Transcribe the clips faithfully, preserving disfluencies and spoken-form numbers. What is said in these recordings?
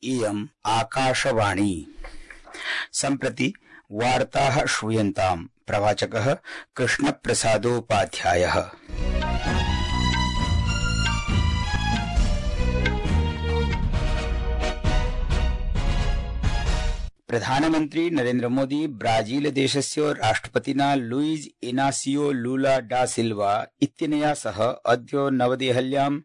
इयम् आकाशवाणी। सम्प्रति वार्ताः श्रूयन्ताम्। प्रवाचकः कृष्णप्रसादोपाध्यायः। प्रधानमन्त्री नरेन्द्र मोदी ब्राजील देशस्य राष्ट्रपतिना लुइज इनासियो लूला डा सिल्वा इत्यनया सह अद्य नवदेहल्यां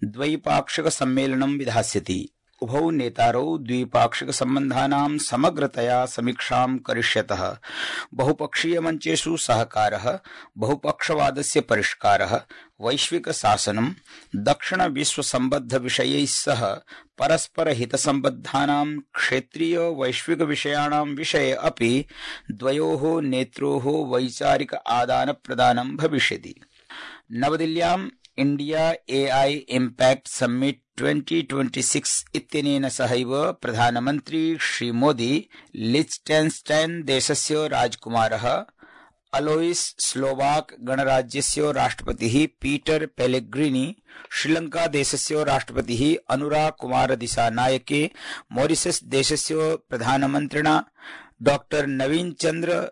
द्वैपाक्षिक सम्मेलनं विधास्यति। उभौ नेतारौ द्विपाक्षिक सम्बन्धानां समग्रतया समीक्षां करिष्यतः। बहुपक्षीय मञ्चेषु सहकारः, बहुपक्षवादस्य परिष्कारः, वैश्विक शासनं, दक्षिण विश्व सम्बद्ध विषयैः सह परस्पर हितसम्बद्धानां क्षेत्रीय वैश्विक विषयाणां विषये अपि द्वयोः नेत्रोः वैचारिक आदानप्रदानं भविष्यति। नवदिल्ल्याम् India AI impact summit twenty twenty six इत्यनेन सहैव प्रधानमन्त्री श्रीमोदी लिच्टेन्स्टैन् देशस्य राजकुमारः अलोइस स्लोवाक गणराज्यस्य राष्ट्रपतिः पीटर पेलेग्रिनी, श्रीलंका देशस्य राष्ट्रपतिः अनुरा कुमार दिसानायके, मॉरिशस देशस्य प्रधानमन्त्रिणा डॉक्टर नवीन चंद्र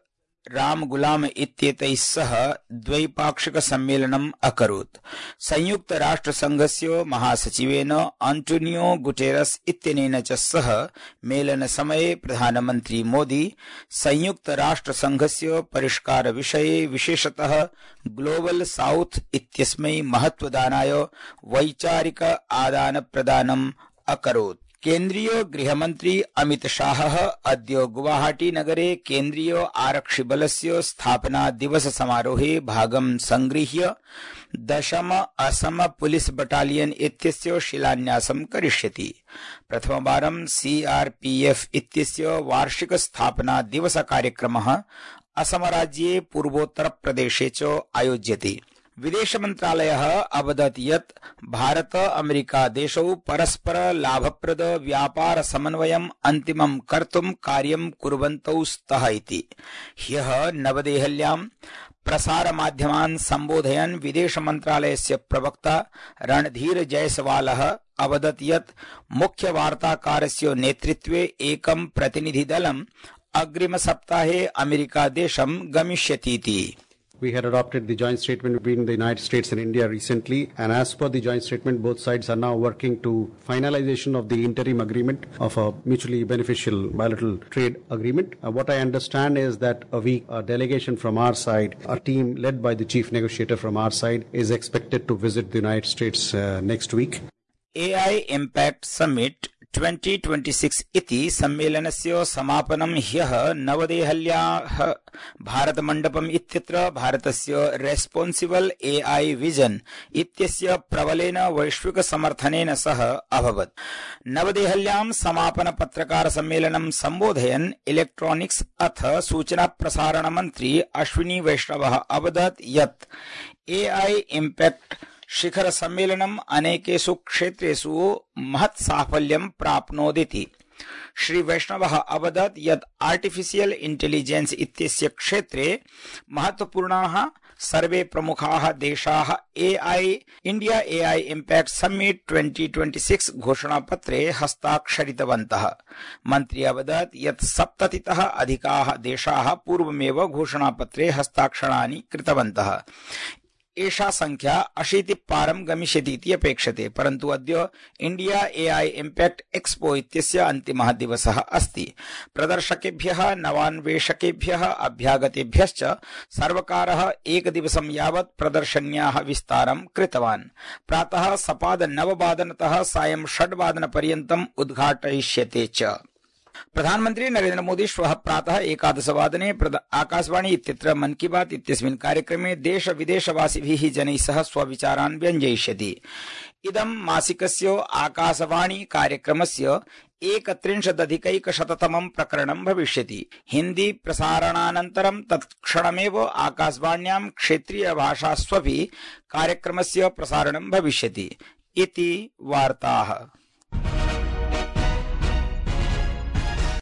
रामगुलाम इत्येतैः सह द्वैपाक्षिक सम्मेलनम् अकरोत्। संयुक्त राष्ट्र संघस्य महासचिवेन आंटोनियो गुटेरस इत्यनेन च सह मेलन समये प्रधानमन्त्री मोदी संयुक्त राष्ट्र संघस्य परिष्कार विषये विशेषतः ग्लोबल साउथ इत्यस्मै महत्वदानाय वैचारिक आदान प्रदानम् अकरोत्। केन्द्रीय गृहमन्त्री अमित शाहः अद्य गुवाहाटी नगरे केन्द्रीय आरक्षिबलस्य स्थापना दिवस समारोहे भागं संगृह्य दशम असम पुलिस बटालियन इत्यस्य शिलान्यासं करिष्यति। प्रथमवारं सीआरपीएफ इत्यस्य वार्षिक स्थापना दिवस कार्यक्रमः असम राज्ये पूर्वोत्तर प्रदेशे च आयोज्यते। विदेश मंत्रालयः अवदत् यत् भारत अमेरिका देशौ परस्पर लाभप्रद व्यापार समन्वयम् अन्तिमं कर्तुं कार्यं कुर्वन्तौ स्तः इति। ह्यः नवदेहल्यां प्रसार माध्यमान् सम्बोधयन् विदेश मंत्रालयस्य प्रवक्ता रणधीर जयसवालः अवदत् यत् मुख्य वार्ताकारस्य नेतृत्वे एकं प्रतिनिधिदलम् अग्रिम सप्ताहे अमेरिका देशं गमिष्यतीति। We had adopted the joint statement between the United States and India recently, and as per the joint statement, both sides are now working to finalization of the interim agreement of a mutually beneficial bilateral trade agreement. Uh, what I understand is that a week, a delegation from our side, a team led by the chief negotiator from our side, is expected to visit the United States uh, next week. A I Impact Summit twenty twenty six इति सम्मेलनस्य समापनं ह्यः नवदेहल्याः भारतमण्डपम् इत्यत्र भारतस्य responsible AI vision इत्यस्य प्रबलेन वैश्विक समर्थनेन सह अभवत्। नवदेहल्यां समापन पत्रकार सम्मेलनं सम्बोधयन् इलेक्ट्रॉनिक्स अथ सूचना प्रसारण मन्त्री अश्विनी वैष्णवः अवदत् यत् एआई इम्पैक्ट शिखर सम्मेलनम् अनेकेषु क्षेत्रेषु महत् साफल्यं प्राप्नोदिति। श्री वैष्णवः अवदत् यत् आर्टिफिशियल इंटेलिजेंस इत्यस्य क्षेत्रे महत्वपूर्णाः सर्वे प्रमुखाः देशाः AI India AI impact summit twenty twenty six घोषणापत्रे हस्ताक्षरितवन्तः। मन्त्री अवदत् यत् सप्ततितः अधिकाः देशाः पूर्वमेव घोषणापत्रे हस्ताक्षराणि कृतवन्तः। एषा संख्या अशीति पारं गमिष्यतीति अपेक्षते, परन्तु अद्य इंडिया एआई इम्पैक्ट एक्सपो इत्यस्य अन्तिमः दिवसः अस्ति। प्रदर्शकेभ्यः नवान्वेषकेभ्यः अभ्यागतेभ्यश्च सर्वकारः एकदिवसं यावत् प्रदर्शन्याः विस्तारं कृतवान्। प्रातः सपाद नववादनतः सायं षड्वादनपर्यन्तम् उद्घाटयिष्यते च। प्रधानमन्त्री नरेन्द्र मोदी श्वः प्रातः एकादशवादने आकाशवाणी इत्यत्र मन की बात इत्यस्मिन् कार्यक्रमे देश विदेशवासिभिः जनैः सह स्वविचारान् व्यञ्जयिष्यति। इदं मासिकस्य आकाशवाणी कार्यक्रमस्य एकत्रिंशदधिकैकशततमं प्रकरणं भविष्यति। हिन्दी प्रसारणानन्तरं तत्क्षणमेव आकाशवाण्यां क्षेत्रीय भाषास्वपि कार्यक्रमस्य प्रसारणं भविष्यति इति वार्ताः।